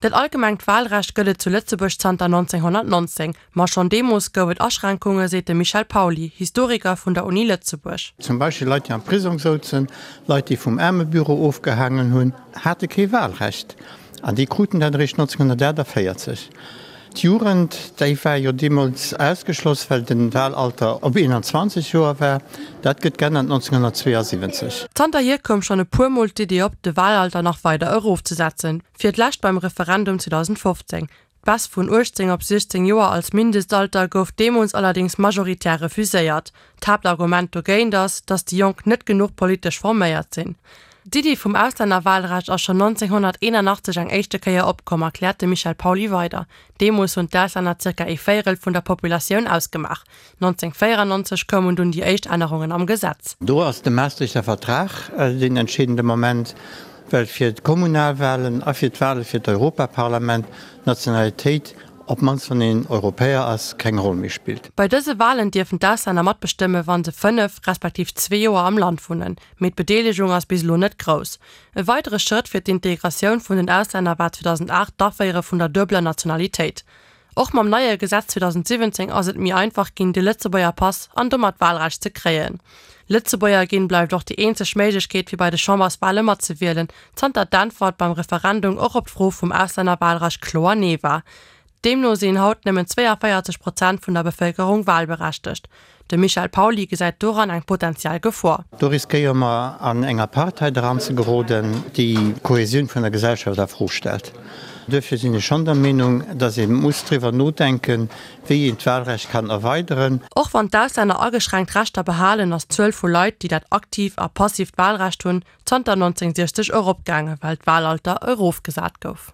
Dat allgemengt Walrecht gëtt et zu Lëtzebuerg zanter 1919, ma schonn deemools gouf et Aschränkunge, seet de Michel Pauly, Historiker vun der Uni Lëtzebuerg. Zum Beispill Leit, déi am Prisong souzen, Leit, déi vum Aarmebüro ofgehaangen hunn, hate kee Walrecht an déi kruten dat eréischt 1948. D'Jugend, déi war jo deemools ausgeschloss, well de Wahlalter op 21 Joer war. Dat gëtt geännert 1972. Zanterhier koum schonn e puer Mol d'Iddi op, de Wahlalter nach weider erofzesetzen. Fir d'lescht beim Referendum 2015. D'Baisse vun 18 op 16 Joer als Mindestalter gouf deemools allerdéngs majoritär refuséiert. D'Haaptargument dogéint ass, datt déi Jonk net genuch politesch forméiert sinn. D'Iddi vum Auslännerwahlrecht ass schonn 1981 eng éischte Kéier opkomm, erkläert de Michel Pauly weider. Deemools hunn d'Auslänner zirka ee Véierel vun der Populatioun ausgemaach. 1994 koumen dunn déi éischt Ännerungen am Gesetz. Do ass de Maastrichter Vertrag deen entscheedende Moment, well fir d'Kommunalwahlen a fir d'Wahle fir d'Europaparlament d'Nationalitéit, op d'mannst wann een Europäer ass, keng Roll méi spillt. Bei dëse Wahlen dierfen d'Auslänner matbestëmme wa se 5, respektiv zwee Joer am Land wunnen. Mee d'Bedeelegung ass bis elo net grouss. E weidere Schrëtt fir d'Integratioun vun den Auslänner war 2008 d'Aféiere vun der duebeler Nationalitéit. Och mam neie Gesetz 2017 ass et méi einfach ginn, de Lëtzebuerger Pass an domat d'Wahlrecht ze kréien. Lëtzebuerger ginn bleift och déi eenzeg Méiglechkeet fir bei de Chamberswahle matzewielen, zanter d'Äntwert beim Referendum och op d'Fro vum Auslännerwahlrecht kloer Nee war. Deemno sinn haut nëmmen 42 Prozent vun der Bevëlkerung wahlberechtegt. De Michel Pauly gesäit doran eng potentiell Gefor. Do riskéiere mer an eng Apartheid eranzegeroden, déi d'Kohäsioun vun der Gesellschaft a Fro stellt. Duerfir sinn ech schonn der Meenung, datt ee muss driwwer nodenken, wéi een d'Wahlrecht kann erweideren. Och wann d'Auslänner ageschränkt Rechter behalen, ass d'Zuel vu Leit, déi dat aktiivt a passiivt Wahlrecht hunn, zanter 1960 eropgaangen, well d'Wahlalter erofgesat gouf.